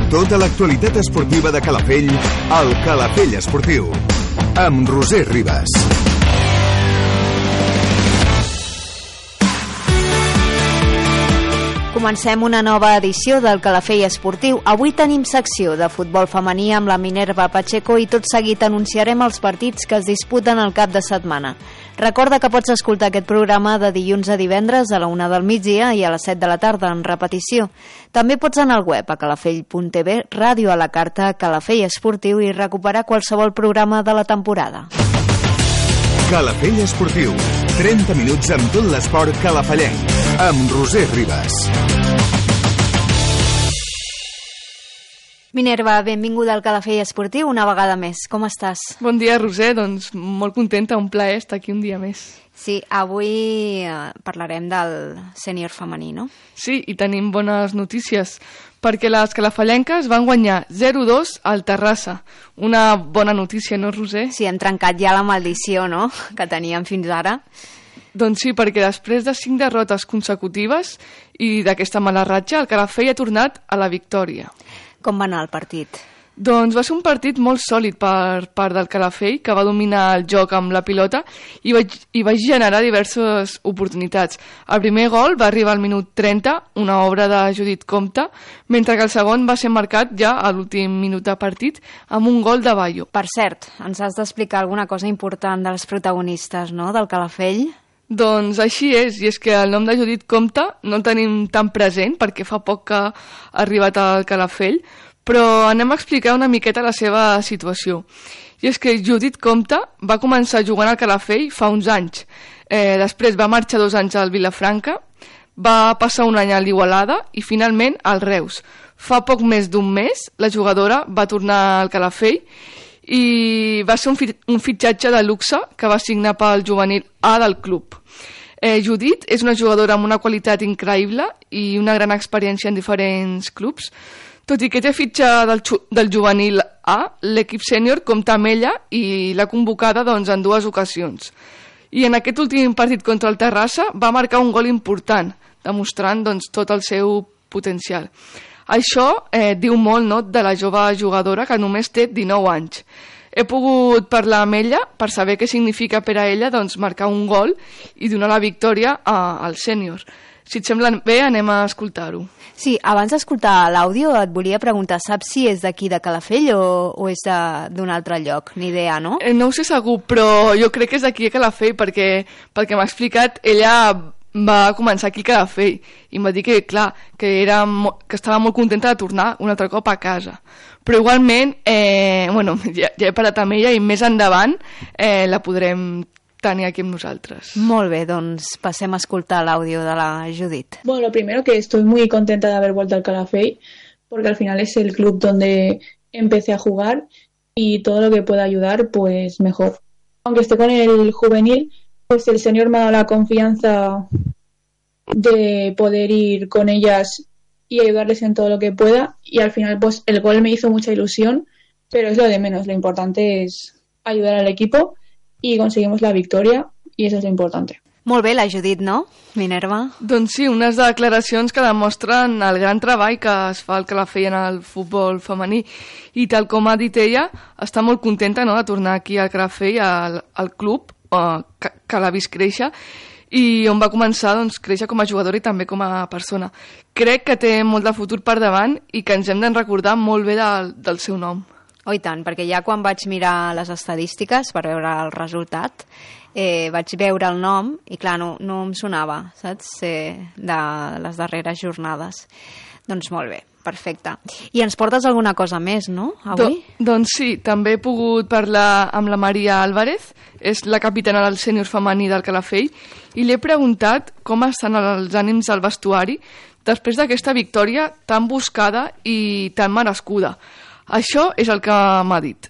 Tota l'actualitat esportiva de Calafell al Calafell Esportiu amb Roser Ribas. Comencem una nova edició del Calafell Esportiu. Avui tenim secció de futbol femení amb la Minerva Pacheco i tot seguit anunciarem els partits que es disputen el cap de setmana. Recorda que pots escoltar aquest programa de dilluns a divendres a la 1 del migdia i a les 7 de la tarda en repetició. També pots anar al web a calafell.tv, ràdio a la carta, Calafell Esportiu i recuperar qualsevol programa de la temporada. Calafell Esportiu, 30 minuts amb tot l'esport calafellenc, amb Roser Ribas. Minerva, benvinguda al Calafell Esportiu una vegada més. Com estàs? Bon dia, Roser. Doncs molt contenta, un plaer estar aquí un dia més. Sí, avui parlarem del sènior femení, no? Sí, i tenim bones notícies, perquè les calafellenques van guanyar 0-2 al Terrassa. Una bona notícia, no, Roser? Sí, hem trencat ja la maldició, no?, que teníem fins ara. Doncs sí, perquè després de 5 derrotes consecutives i d'aquesta mala ratxa, el Calafell ha tornat a la victòria. Com va anar el partit? Doncs va ser un partit molt sòlid per part del Calafell, que va dominar el joc amb la pilota i va generar diverses oportunitats. El primer gol va arribar al minut 30, una obra de Judit Comte, mentre que el segon va ser marcat ja a l'últim minut de partit amb un gol de Bayo. Per cert, ens has d'explicar alguna cosa important dels protagonistes, no?, del Calafell? Doncs així és, i és que el nom de Judit Comte no el tenim tan present perquè fa poc que ha arribat al Calafell, però anem a explicar una miqueta la seva situació. I és que Judit Comte va començar jugant al Calafell fa uns anys. Després va marxar 2 anys al Vilafranca, va passar un any a l'Igualada i finalment al Reus. Fa poc més d'un mes la jugadora va tornar al Calafell i va ser un fitxatge de luxe que va signar pel juvenil A del club. Judit és una jugadora amb una qualitat increïble i una gran experiència en diferents clubs. Tot i que té fitxa del juvenil A, l'equip sènior compta amb ella i l'ha convocada en 2 ocasions. I en aquest últim partit contra el Terrassa va marcar un gol important, demostrant tot el seu potencial. Això diu molt, no?, de la jove jugadora que només té 19 anys. He pogut parlar amb ella per saber què significa per a ella marcar un gol i donar la victòria al sènior. Si et sembla bé, anem a escoltar-ho. Sí, abans d'escoltar l'àudio et volia preguntar, saps si és d'aquí de Calafell o és d'un altre lloc? Ni idea, no? No ho sé segur, però jo crec que és d'aquí a Calafell perquè pel que m'ha explicat ella va començar aquí a Calafell i em va dir que, clar, que estava molt contenta de tornar un altre cop a casa. Però igualment, ja he parlat amb ella i més endavant la podrem tenir aquí amb nosaltres. Molt bé, doncs passem a escoltar l'àudio de la Judit. Bueno, lo primero que estoy muy contenta de haber vuelto al Calafell porque al final es el club donde empecé a jugar y todo lo que pueda ayudar, pues mejor. Aunque esté con el juvenil, pues el señor me ha dado la confianza de poder ir con ellas y ayudarles en todo lo que pueda y al final pues el gol me hizo mucha ilusión, pero es lo de menos, lo importante es ayudar al equipo i aconseguimos la victòria i això és l'important. Molt bé, la Judit, no, Minerva? Doncs sí, unes declaracions que demostren el gran treball que es fa al Calafell en el futbol femení i tal com ha dit ella, està molt contenta, no?, de tornar aquí al Calafell, al club que l'ha vist créixer i on va començar créixer com a jugadora i també com a persona. Crec que té molt de futur per davant i que ens hem de recordar molt bé del seu nom. Oh, i tant, perquè ja quan vaig mirar les estadístiques per veure el resultat, vaig veure el nom i clar, no em sonava, saps, de les darreres jornades. Doncs molt bé, perfecte. I ens portes alguna cosa més, no, avui? Doncs sí, també he pogut parlar amb la Maria Álvarez, és la capitana del sènior femení del Calafell, i li he preguntat com estan els ànims al vestuari després d'aquesta victòria tan buscada i tan merescuda. Això és el que m'ha dit.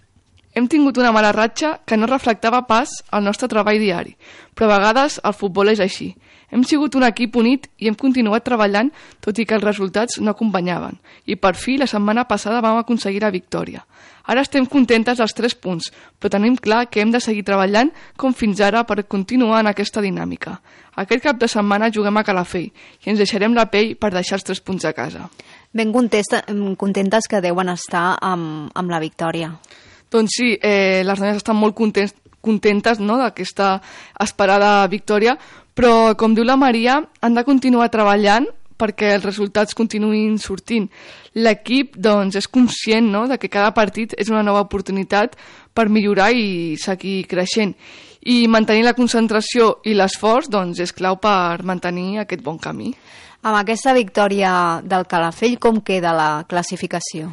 Hem tingut una mala ratxa que no reflectava pas el nostre treball diari, però a vegades el futbol és així. Hem sigut un equip unit i hem continuat treballant tot i que els resultats no acompanyaven. I per fi la setmana passada vam aconseguir la victòria. Ara estem contentes dels 3 punts, però tenim clar que hem de seguir treballant com fins ara per continuar en aquesta dinàmica. Aquest cap de setmana juguem a Calafell i ens deixarem la pell per deixar els 3 punts a casa. Ben contentes que deuen estar amb la victòria. Doncs sí, les noies estan molt contentes, no?, d'aquesta esperada victòria, però, com diu la Maria, han de continuar treballant perquè els resultats continuïn sortint. L'equip doncs, és conscient, no?, de que cada partit és una nova oportunitat per millorar i seguir creixent. I mantenir la concentració i l'esforç doncs, és clau per mantenir aquest bon camí. Amb aquesta victòria del Calafell, com queda la classificació?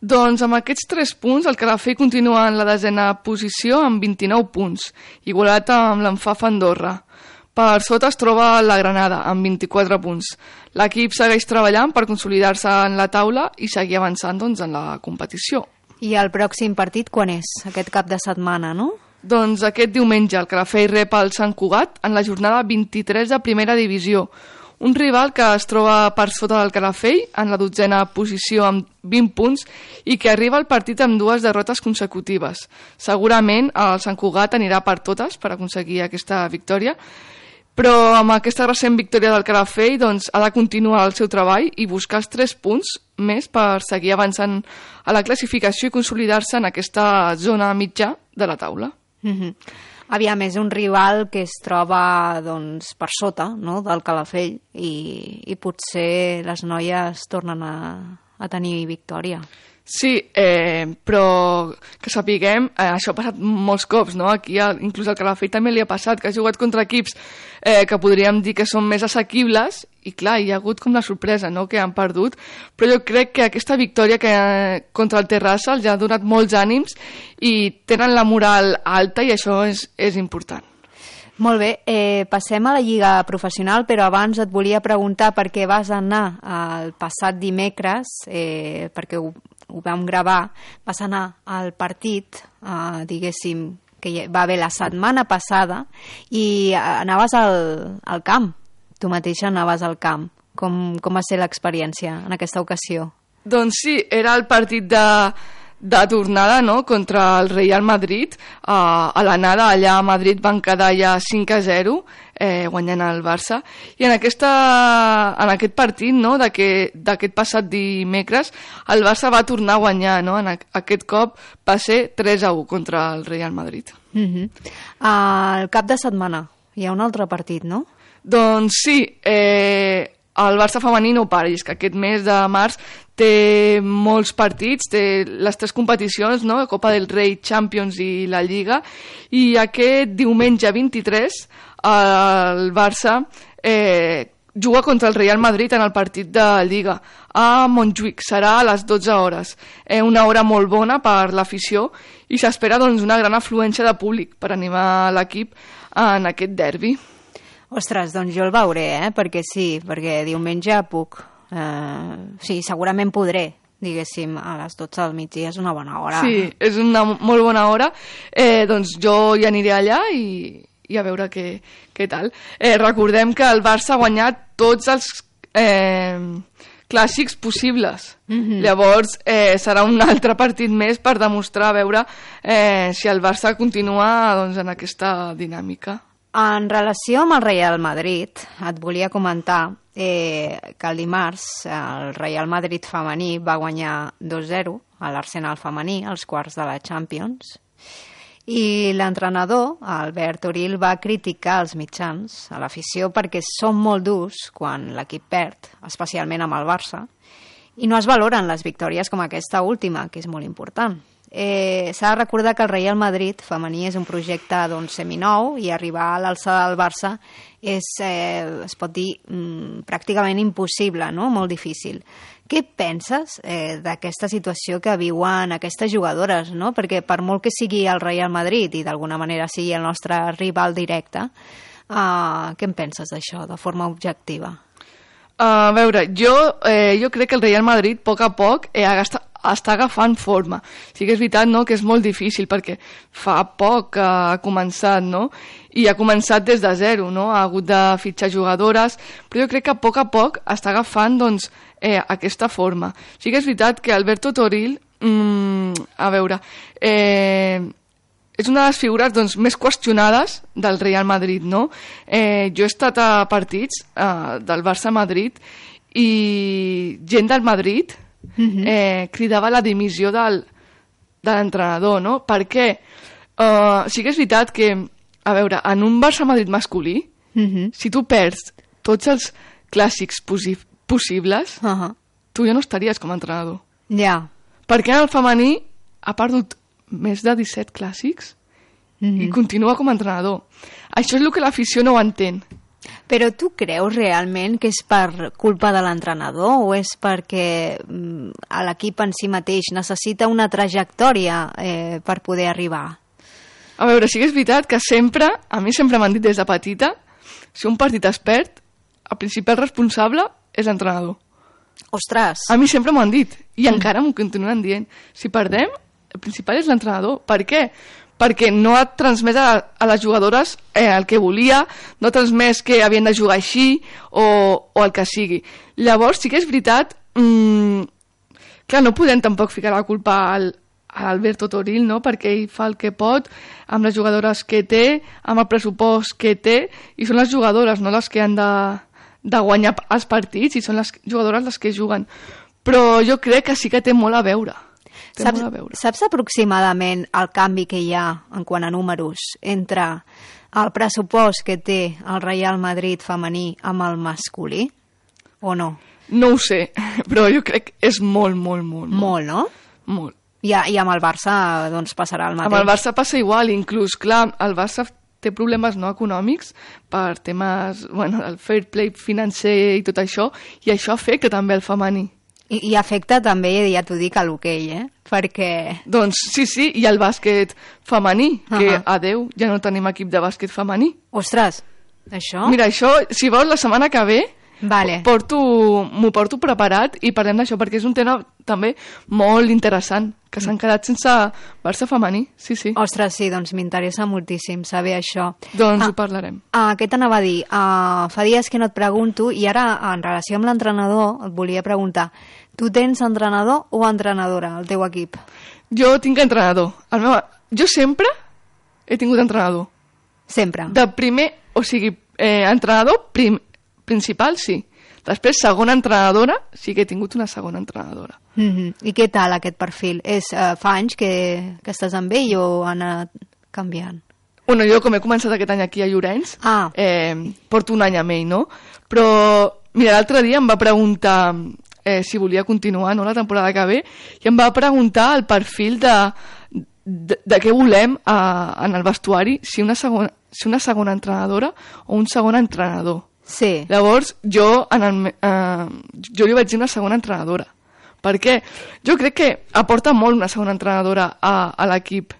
Doncs amb aquests 3 punts, el Calafell continua en la 10ª posició amb 29 punts, igualat amb l'Enfaf Andorra. Per sota es troba la Granada, amb 24 punts. L'equip segueix treballant per consolidar-se en la taula i seguir avançant doncs, en la competició. I el pròxim partit quan és? Aquest cap de setmana, no? Doncs aquest diumenge el Calafell rep el Sant Cugat en la jornada 23 de primera divisió. Un rival que es troba per sota del Calafell, en la 12ª posició amb 20 punts, i que arriba al partit amb 2 derrotes consecutives. Segurament el Sant Cugat anirà per totes per aconseguir aquesta victòria, però amb aquesta recent victòria del Calafell doncs, ha de continuar el seu treball i buscar els 3 punts més per seguir avançant a la classificació i consolidar-se en aquesta zona mitjà de la taula. Aviam, és un rival que es troba doncs, per sota, no?, del Calafell i potser les noies tornen a tenir victòria. Sí, però que sapiguem, això ha passat molts cops, no? Aquí inclús al Calafell també li ha passat, que ha jugat contra equips que podríem dir que són més assequibles i clar, hi ha hagut com la sorpresa, no?, que han perdut, però jo crec que aquesta victòria contra el Terrassa els ha donat molts ànims i tenen la moral alta i això és important. Molt bé, passem a la Lliga Professional, però abans et volia preguntar per què vas anar el passat dimecres, perquè ho vam gravar, vas anar al partit, diguéssim, que va haver la setmana passada, i anaves al camp, tu mateixa anaves al camp. Com va ser l'experiència en aquesta ocasió? Doncs sí, era el partit de tornada, no?, contra el Real Madrid. A l'anada allà a Madrid van quedar ja 5-0, guanyant el Barça, i en aquest partit, no?, d'aquest passat dimecres, el Barça va tornar a guanyar, no?, aquest cop va ser 3-1 contra el Real Madrid. Al cap de setmana hi ha un altre partit, no? Doncs sí, el Barça femení no para, i és que aquest mes de març té molts partits, té les 3 competicions, no?, Copa del Rei, Champions i la Lliga, i aquest diumenge 23 el Barça juga contra el Real Madrid en el partit de Lliga a Montjuïc, serà a les 12 hores, una hora molt bona per l'afició i s'espera doncs, una gran afluència de públic per animar l'equip en aquest derbi. Ostres, doncs jo el veuré, perquè sí, perquè diumenge puc. Sí, segurament podré, diguéssim, a les 12 del migdia, és una bona hora. Sí, és una molt bona hora. Doncs jo hi aniré allà i a veure què tal. Recordem que el Barça ha guanyat tots els clàssics possibles. Llavors serà un altre partit més per demostrar, a veure si el Barça continua doncs, en aquesta dinàmica. En relació amb el Real Madrid, et volia comentar que el dimarts el Real Madrid femení va guanyar 2-0 a l'Arsenal femení, als quarts de la Champions, i l'entrenador, Albert Oril, va criticar els mitjans, a l'afició, perquè són molt durs quan l'equip perd, especialment amb el Barça, i no es valoren les victòries com aquesta última, que és molt important. S'ha de recordar que el Real Madrid femení és un projecte seminou i arribar a l'alçada del Barça és, es pot dir, pràcticament impossible, no? Molt difícil. Què penses d'aquesta situació que viuen aquestes jugadores, no? Perquè per molt que sigui el Real Madrid i d'alguna manera sigui el nostre rival directe, què en penses d'això, de forma objectiva? A veure, jo crec que el Real Madrid, a poc a poc, ha està agafant forma. Sí que és veritat, no?, que és molt difícil perquè fa poc que ha començat, no?, i ha començat des de zero, no?, ha hagut de fitxar jugadores, però jo crec que a poc està agafant, doncs, aquesta forma. Sí que és veritat que Alberto Toril, a veure, és una de les figures, doncs, més qüestionades del Real Madrid, no? Jo he estat a partits del Barça-Madrid i gent del Madrid cridava la dimissió de l'entrenador, no? Perquè sí que és veritat que, a veure, en un Barça-Madrid masculí, si tu perds tots els clàssics possibles, tu ja no estaries com a entrenador. Ja. Perquè en el femení ha perdut més de 17 clàssics i continua com a entrenador. Això és el que l'afició no ho entén. Però tu creus realment que és per culpa de l'entrenador o és perquè l'equip en si mateix necessita una trajectòria per poder arribar? A veure, sí que és veritat que sempre, a mi sempre m'han dit des de petita, si un partit es perd, el principal responsable és l'entrenador. Ostres! A mi sempre m'ho han dit i encara m'ho continuen dient. Si perdem, el principal és l'entrenador. Per què? Perquè no ha transmès a les jugadores el que volia, no ha transmès que havien de jugar així o el que sigui. Llavors sí que és veritat, clar, no podem tampoc ficar la culpa a Alberto Toril, no?, perquè ell fa el que pot amb les jugadores que té, amb el pressupost que té, i són les jugadores, no?, les que han de guanyar els partits, i són les jugadores les que juguen. Però jo crec que sí que té molt a veure. Saps aproximadament el canvi que hi ha en quant a números entre el pressupost que té el Real Madrid femení amb el masculí o no? No ho sé, però jo crec que és molt. Molt, no? Molt. I amb el Barça doncs passarà el mateix. Amb el Barça passa igual, inclús, clar, el Barça té problemes no econòmics per temes, bueno, del fair play financer i tot això, i això afecta també el femení. I afecta també, ja t'ho dic, a l'hoquei, perquè... Doncs sí, i el bàsquet femení, que adeu, ja no tenim equip de bàsquet femení. Ostres, això... Mira, això, si vols, la setmana que ve vale. M'ho porto preparat i parlem d'això, perquè és un tema també molt interessant, que s'han quedat sense Barça femení, sí. Ostres, sí, doncs m'interessa moltíssim saber això. Doncs ho parlarem. Què t'anava a dir? Fa dies que no et pregunto, i ara, en relació amb l'entrenador, et volia preguntar, tu tens entrenador o entrenadora al teu equip? Jo tinc entrenador. Jo sempre he tingut entrenador. Sempre? De primer, o sigui, entrenador principal, sí. Després, segona entrenadora, sí que he tingut una segona entrenadora. I què tal aquest perfil? Fa anys que estàs amb ell o ha anat canviant? Bueno, jo com he començat aquest any aquí a Llorenç, porto un any amb ell, no? Però, mira, l'altre dia em va preguntar si volia continuar, no?, la temporada que ve, i em va preguntar el perfil de què volem en el vestuari, si una segona entrenadora o un segon entrenador. Sí. Llavors, jo li vaig dir una segona entrenadora. Perquè jo crec que aporta molt una segona entrenadora a l'equip.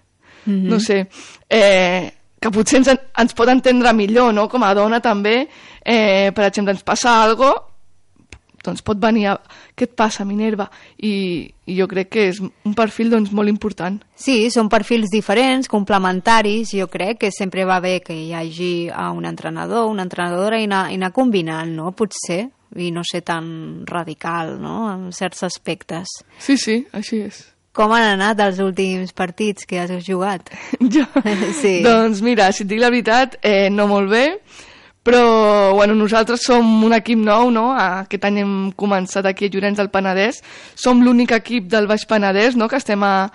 No sé, que potser ens pot entendre millor, no?, com a dona també. Per exemple, ens passa alguna cosa, doncs pot venir què et passa, Minerva? I jo crec que és un perfil doncs, molt important. Sí, són perfils diferents, complementaris. Jo crec que sempre va bé que hi hagi un entrenador, una entrenadora i anar combinant, no? Potser, i no ser tan radical, no?, en certs aspectes. Sí, així és. Com han anat els últims partits que has jugat? Jo? Sí. Doncs mira, si et dic la veritat, no molt bé, però bueno, nosaltres som un equip nou, no? Aquest any hem començat aquí a Llorenç del Penedès, som l'únic equip del Baix Penedès, no?, que estem a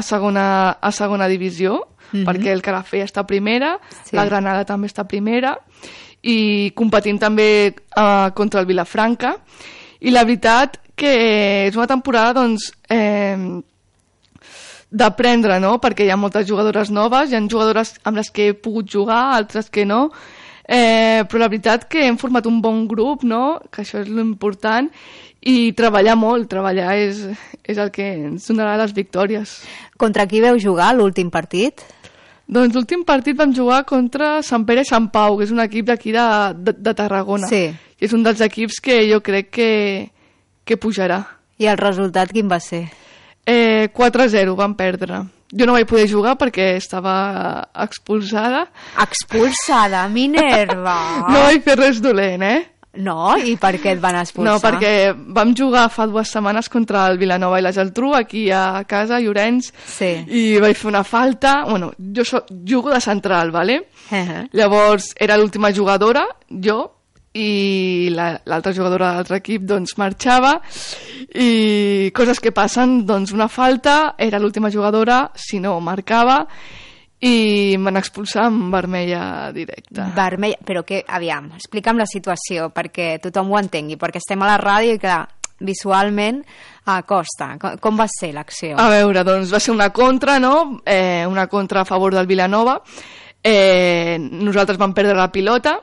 segona divisió, perquè el Calafell està a primera, la Granada també està a primera, i competim també contra el Vilafranca, i la veritat que és una temporada doncs d'aprendre, no?, perquè hi ha moltes jugadores noves, hi ha jugadores amb les que he pogut jugar, altres que no, però la veritat que hem format un bon grup, no?, que això és l'important, i treballar molt, treballar és el que ens donarà les victòries. Contra qui veu jugar l'últim partit? Doncs l'últim partit vam jugar contra Sant Pere i Sant Pau, que és un equip d'aquí de Tarragona. Sí. I és un dels equips que jo crec que pujarà. I el resultat quin va ser? 4-0 van perdre. Jo no vaig poder jugar perquè estava expulsada. Expulsada, Minerva! No vaig fer res dolent, No? I per què et van expulsar? No, perquè vam jugar fa 2 setmanes contra el Vilanova i la Geltrú, aquí a casa, a Llorenç, i vaig fer una falta. Bueno, jo jugo de central, ¿vale? Llavors era l'última jugadora, jo, i l'altra jugadora de l'altre equip doncs marxava, i coses que passen, doncs una falta, era l'última jugadora, si no marcava, i em van expulsar amb vermella directa. Vermella, però que, aviam, explica'm la situació perquè tothom ho entengui, perquè estem a la ràdio i clar, visualment costa. Com va ser l'acció? A veure, doncs va ser una contra, no? Una contra a favor del Vilanova. Nosaltres vam perdre la pilota,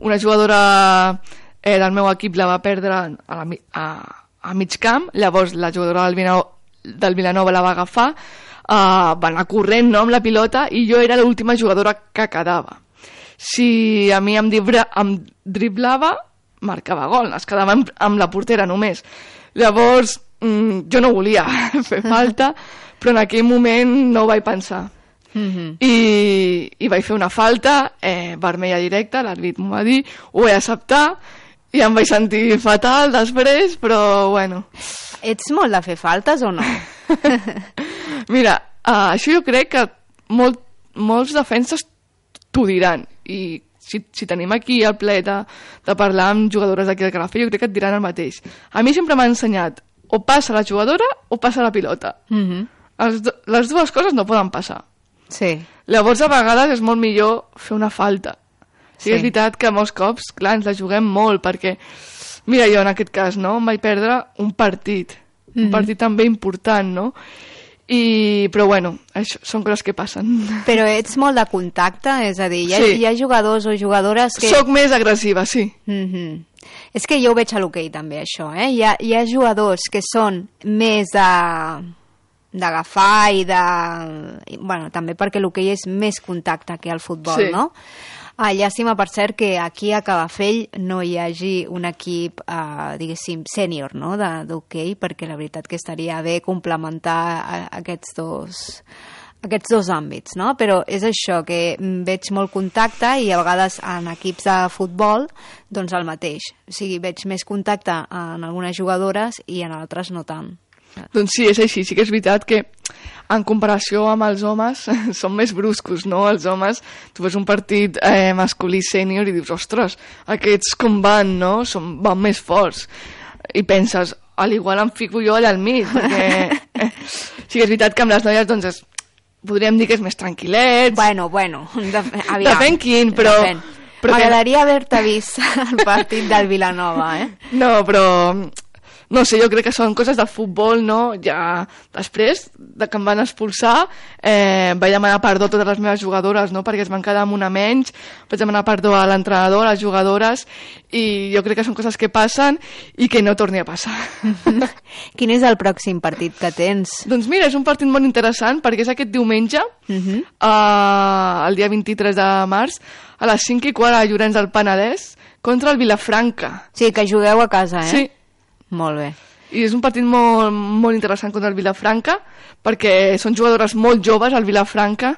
una jugadora del meu equip la va perdre a mig camp, llavors la jugadora del Vilanova la va agafar, va anar corrent, no, amb la pilota, i jo era l'última jugadora que quedava. Si a mi em driblava, marcava gol, es quedava amb la portera només. Llavors jo no volia fer falta, però en aquell moment no ho vaig pensar. I vaig fer una falta, vermella directa, l'àrbit m'ho va dir, ho vaig acceptar i em vaig sentir fatal després, però bueno. Ets molt de fer faltes o no? Mira, això jo crec que molts defenses t'ho diran, i si tenim aquí el ple de parlar amb jugadores d'aquí del Calafell, jo crec que et diran el mateix. A mi sempre m'ha ensenyat o passa la jugadora o passa la pilota. Les dues coses no poden passar. Sí. Llavors a vegades és molt millor fer una falta. Sí, és veritat que molts cops, clar, ens la juguem molt, perquè mira, jo en aquest cas, no, em vaig perdre un partit també important, no? Però bueno, això són coses que passen. Però ets molt de contacte, és a dir, hi ha jugadors o jugadores que... Soc més agressiva, sí. És que jo ho veig a l'hoquei també, això, Hi ha jugadors que són més d'agafar i de... Bueno, també perquè l'hoquei és més contacte que el futbol, no? Llàstima, per cert, que aquí a Calafell no hi hagi un equip, diguéssim, sènior, no?, d'hoquei, perquè la veritat que estaria bé complementar aquests dos àmbits, no? Però és això, que veig molt contacte i a vegades en equips de futbol, doncs el mateix. O sigui, veig més contacte en algunes jugadores i en altres no tant. Doncs sí, és així. Sí que és veritat que en comparació amb els homes són més bruscos, no? Els homes, tu veus un partit masculí sènior i dius, ostres, aquests com van, no? Van més forts. I penses, a l'igual em fico jo allà al mig, perquè sí que és veritat que amb les noies doncs podríem dir que és més tranquil·lets. Bueno, aviam. Depèn quin, però... M'agradaria haver-te vist el partit del Vilanova, No, però... No sé, jo crec que són coses del futbol, no? Ja després de que em van expulsar vaig demanar perdó a totes les meves jugadores, no? Perquè es van quedar amb una menys, vaig demanar perdó a l'entrenador, a les jugadores, i jo crec que són coses que passen i que no torni a passar. Quin és el pròxim partit que tens? Doncs mira, és un partit molt interessant perquè és aquest diumenge, el dia 23 de març, a les 5:15 a Llorenç del Penedès, contra el Vilafranca. Sí, que jugueu a casa, Sí. Molt bé. I és un partit molt, molt interessant contra el Vilafranca, perquè són jugadores molt joves, al Vilafranca,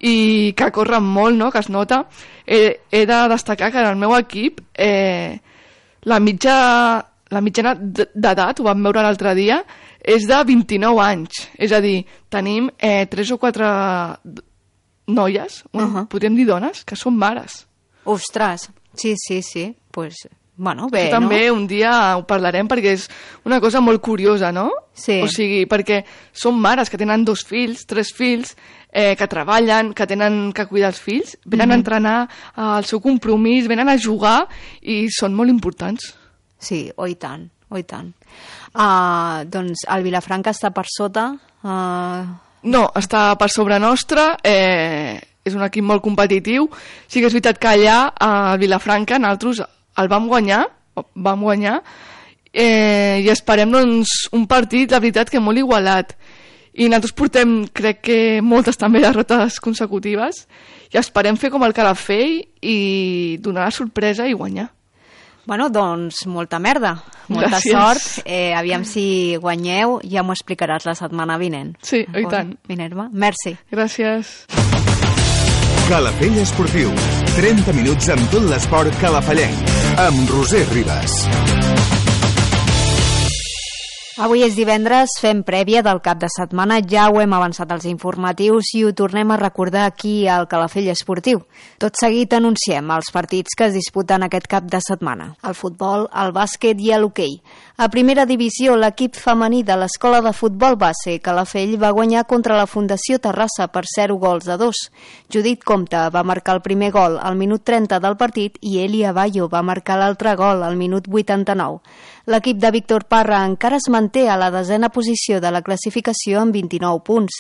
i que corren molt, no?, que es nota. He de destacar que en el meu equip la mitjana d'edat, ho vam veure l'altre dia, és de 29 anys. És a dir, tenim 3 o 4 noies, podríem dir dones, que són mares. Ostres, sí, pues... Bueno, bé, això també un dia ho parlarem perquè és una cosa molt curiosa, no? Sí. O sigui, perquè són mares que tenen 2 fills, 3 fills, que treballen, que tenen que cuidar els fills, venen a entrenar al seu compromís, venen a jugar i són molt importants. Sí, i tant. Doncs el Vilafranca està per sota? No, està per sobre nostra, és un equip molt competitiu. Sí que és veritat que allà, al Vilafranca, nosaltres el vam guanyar i esperem doncs, un partit, la veritat, que molt igualat. I nosaltres portem, crec que moltes també derrotes consecutives, i esperem fer com el Calafell i donar la sorpresa i guanyar. Bueno, doncs molta merda, molta Gràcies. sort. Aviam si guanyeu, ja m'ho explicaràs la setmana vinent. Sí, i tant. Minerva, merci. Gràcies. Calafell Esportiu. 30 minuts amb tot l'esport calafallenc. Amb Roser Ribas. Avui és divendres, fem prèvia del cap de setmana, ja ho hem avançat als informatius i ho tornem a recordar aquí al Calafell Esportiu. Tot seguit anunciem els partits que es disputen aquest cap de setmana. El futbol, el bàsquet i l'hoquei. A primera divisió, l'equip femení de l'Escola de Futbol Base Calafell va guanyar contra la Fundació Terrassa per 0-2. Judit Comte va marcar el primer gol al minut 30 del partit i Elia Bayo va marcar l'altre gol al minut 89. L'equip de Víctor Parra encara es manté a la 10a posició de la classificació amb 29 punts.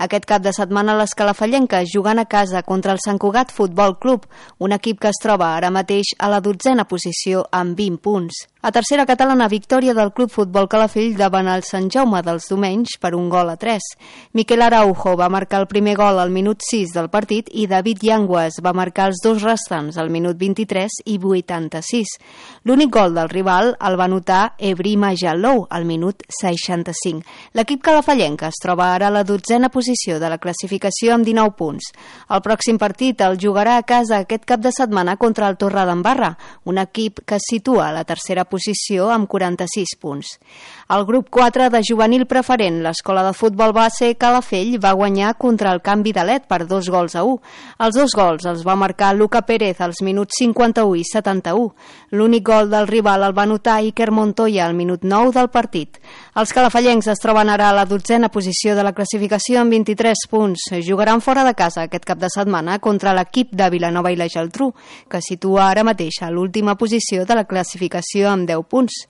Aquest cap de setmana les calafallenques jugant a casa contra el Sant Cugat Futbol Club, un equip que es troba ara mateix a la 12a posició amb 20 punts. A tercera catalana, victòria del Club Futbol Calafell davant el Sant Jaume dels Domenys per 1-3. Miquel Araujo va marcar el primer gol al minut 6 del partit i David Llangues va marcar els dos restants al minut 23 i 86. L'únic gol del rival el va anotar Ebrima Jalou al minut 65. L'equip calafallenc es troba ara a la 12a posició de la classificació amb 19 punts. El pròxim partit el jugarà a casa aquest cap de setmana contra el Torredembarra, un equip que es situa a la tercera posició amb 46 punts. El grup 4 de juvenil preferent, l'Escola de Futbol Base Calafell, va guanyar contra el Can Vidalet per 2-1. Els dos gols els va marcar Luca Pérez als minuts 51 i 71. L'únic gol del rival el va anotar Iker Montoya al minut 9 del partit. Els calafallencs es troben ara a la 12a posició de la classificació amb 23 punts. Jugaran fora de casa aquest cap de setmana contra l'equip de Vilanova i la Geltrú, que situa ara mateix a l'última posició de la classificació amb 10 punts.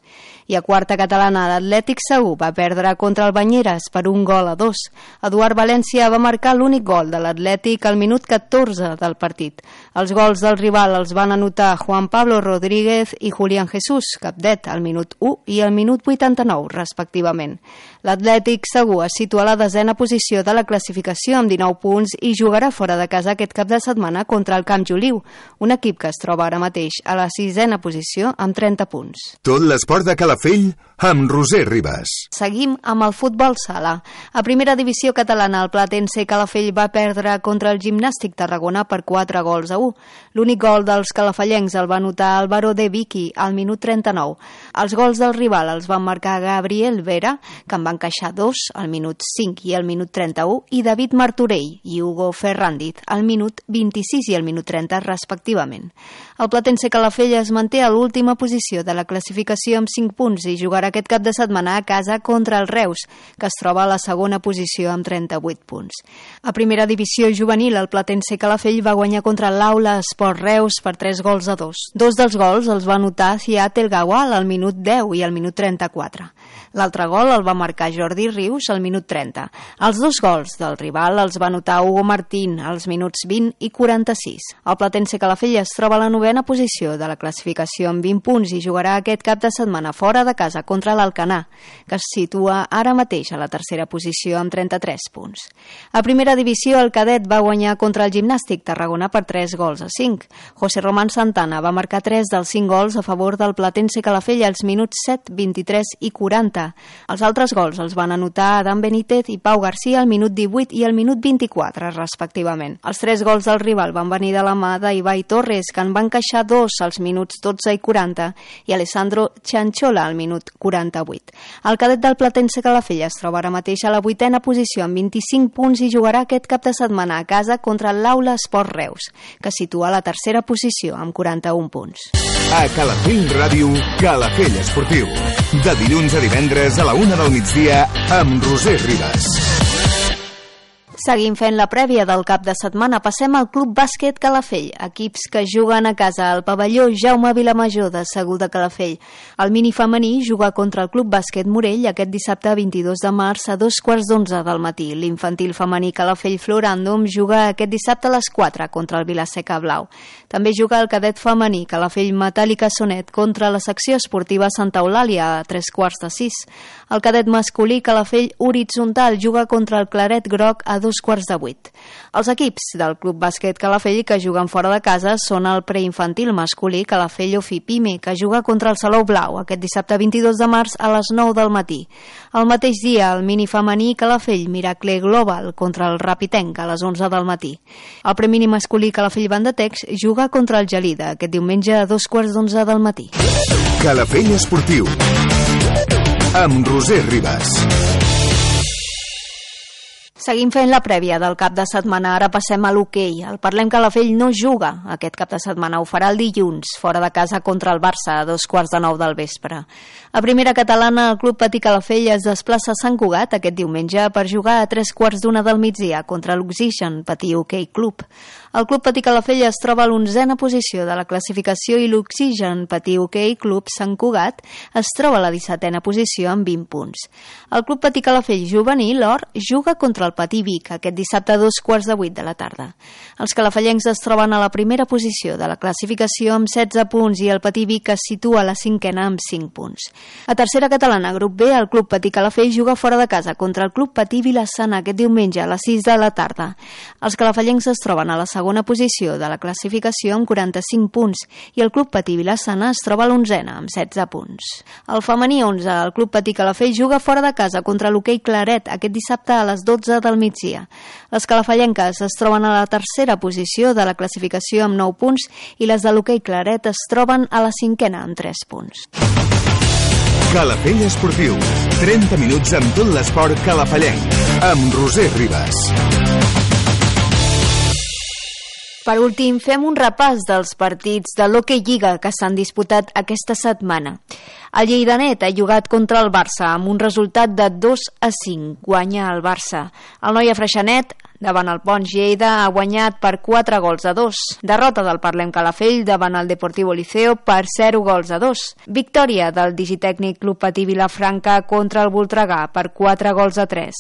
I a quarta catalana, l'Atlètic Segur va perdre contra el Banyeres per 1-2. Eduard València va marcar l'únic gol de l'Atlètic al minut 14 del partit. Els gols del rival els van anotar Juan Pablo Rodríguez i Julián Jesús, capdet, al minut 1 i al minut 89, respectivament. L'Atlètic Segur es situa a la 10a posició de la classificació amb 19 punts i jugarà fora de casa aquest cap de setmana contra el Camp Joliu, un equip que es troba ara mateix a la 6a posició amb 30 punts. Tot l'esport de Calafell amb Roser Ribas. Seguim amb el futbol sala. A primera divisió catalana, el Platense Calafell va perdre contra el Gimnàstic Tarragona per 4-1. L'únic gol dels calafallencs el va anotar Álvaro de Vicky al minut 39. Els gols del rival els van marcar Gabriel Vera, que en va encaixar 2 al minut 5 i al minut 31, i David Martorell i Hugo Ferrandiz al minut 26 i al minut 30, respectivament. El Platense Calafell es manté a l'última posició de la classificació amb 5 punts i jugarà aquest cap de setmana a casa contra el Reus, que es troba a la segona posició amb 38 punts. A primera divisió juvenil, el Platense Calafell va guanyar contra l'Aula Esport Reus per 3-2. Dos dels gols els va anotar Ziad El Gawal al minut 10 i al minut 34. L'altre gol el va marcar Jordi Rius al minut 30. Els dos gols del rival els va anotar Hugo Martín als minuts 20 i 46. El Platense Calafell es troba a la 9a posició de la classificació amb 20 punts i jugarà aquest cap de setmana fora de casa contra l'Alcanar, que es situa ara mateix a la tercera posició amb 33 punts. A primera divisió, el cadet va guanyar contra el Gimnàstic Tarragona per 3-5. José Román Santana va marcar 3 dels 5 gols a favor del Platense Calafell als minuts 7, 23 i 40. Els altres gols els van anotar Adam Benítez i Pau García al minut 18 i al minut 24, respectivament. Els 3 gols del rival van venir de la mà d'Ibai Torres, que en va encaixar 2 als minuts 12 i 40, i Alessandro Chanchola al minut 48. El cadet del Platense Calafell es troba ara mateix a la 8a posició amb 25 punts i jugarà aquest cap de setmana a casa contra l'Aula Esport Reus, que es situa a la tercera posició amb 41 punts. A Calafell Ràdio, Calafell Esportiu. De dilluns a divendres a la 1 del migdia amb Roser Ribas. Seguim fent la prèvia del cap de setmana. Passem al Club Bàsquet Calafell, equips que juguen a casa al pavelló Jaume Vilamajor de Segur de Calafell. El mini femení juga contra el Club Bàsquet Morell aquest dissabte 22 de març a 2:15 del matí. L'infantil femení Calafell Floràndom juga aquest dissabte a les 4 contra el Vilaseca Blau. També juga el cadet femení Calafell Metàl·lica Sonet contra la secció esportiva Santa Eulàlia a 3:15. El cadet masculí Calafell Horitzontal juga contra el Claret Groc a 2 7:15. Els equips del Club Bàsquet Calafell que juguen fora de casa són el preinfantil masculí Calafell Ofipime, que juga contra el Salou Blau aquest dissabte 22 de març a les 9 del matí. El mateix dia, el mini femení Calafell Miracle Global contra el Rapitenc a les 11 del matí. El premini masculí Calafell Bandatex juga contra el Gelida aquest diumenge a 2:15 del matí. Calafell Esportiu amb Roser Ribas. Seguim fent la prèvia del cap de setmana, ara passem a l'hoquei. El Parlem Calafell no juga aquest cap de setmana, ho farà el dilluns, fora de casa contra el Barça, a 8:45 del vespre. A primera catalana, el Club Patí Calafell es desplaça a Sant Cugat aquest diumenge per jugar a 3:15 del migdia contra l'Oxigen Patí Hoquei Club. El Club Patí Calafell es troba a l'11a posició de la classificació i l'Oxigen Patí Hoquei Club Sant Cugat es troba a la 17a posició amb 20 punts. El Club Patí Calafell juvenil, or, juga contra el Patí Vic aquest dissabte a 2:15 de la tarda. Els calafellencs es troben a la primera posició de la classificació amb 16 punts i el Patí Vic es situa a la 5a amb 5 punts. A tercera catalana, grup B, el Club Patí Calafell juga fora de casa contra el Club Patí Vilassana aquest diumenge a les 6 de la tarda. Els calafellencs es troben a la segona posició de la classificació amb 45 punts i el Club Patí Vilassana es troba a l'11a amb 16 punts. El femení 11, el Club Patí Calafell juga fora de casa contra l'Hoquei Claret aquest dissabte a les 12 del migdia. Les calafellenques es troben a la tercera posició de la classificació amb 9 punts i les de l'Hoquei Claret es troben a la 5a amb 3 punts. Calafell Esportiu, 30 minuts amb tot l'esport calafellenc, amb Roser Ribas. Per últim, fem un repàs dels partits de l'Hoquei Lliga que s'han disputat aquesta setmana. El Lleidanet ha jugat contra el Barça amb un resultat de 2-5. Guanya el Barça. El Noia Freixenet, davant el Pons Lleida, ha guanyat per 4-2. Derrota del Parlem Calafell davant el Deportivo Liceo per 0-2. Victòria del Digitècnic Club Patí Vilafranca contra el Voltregà per 4-3.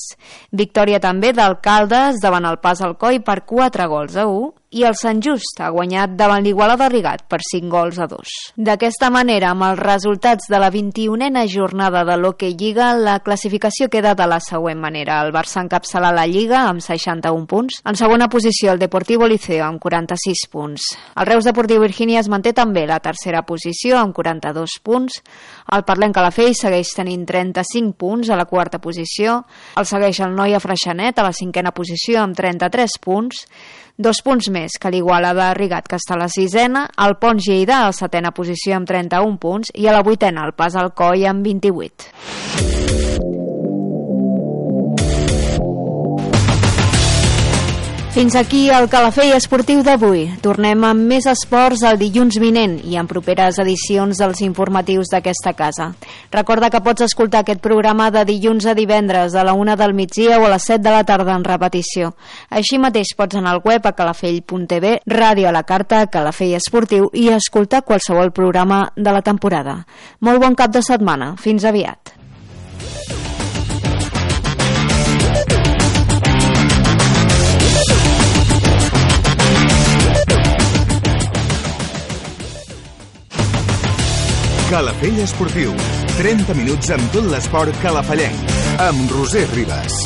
Victòria també del Caldes davant el Pas Alcoi per 4-1. I el Sant Just ha guanyat davant l'Igualada Rigat per 5-2. D'aquesta manera, amb els resultats de la 21a jornada de l'Hoquei Lliga, la classificació queda de la següent manera. El Barça encapçala la Lliga amb 61 punts. En segona posició, el Deportivo Liceo amb 46 punts. El Reus Deportiu Virgínia es manté també la tercera posició amb 42 punts. El Parlem Calafell segueix tenint 35 punts a la quarta posició. El segueix el Noia Freixenet a la 5a posició amb 33 punts. 2 punts més que l'Igualada Rigat, que està a la 6a, el Pons Lleida a la 7a posició amb 31 punts i a la 8a el Pas Alcoi amb 28. Fins aquí el Calafell Esportiu d'avui. Tornem amb més esports el dilluns vinent i en properes edicions dels informatius d'aquesta casa. Recorda que pots escoltar aquest programa de dilluns a divendres a la 1 del migdia o a les 7 de la tarda en repetició. Així mateix pots anar al web a calafell.tv, ràdio a la carta, Calafell Esportiu i escoltar qualsevol programa de la temporada. Molt bon cap de setmana. Fins aviat. Calafell Esportiu, 30 minuts amb tot l'esport calafellenc, amb Roser Ribas.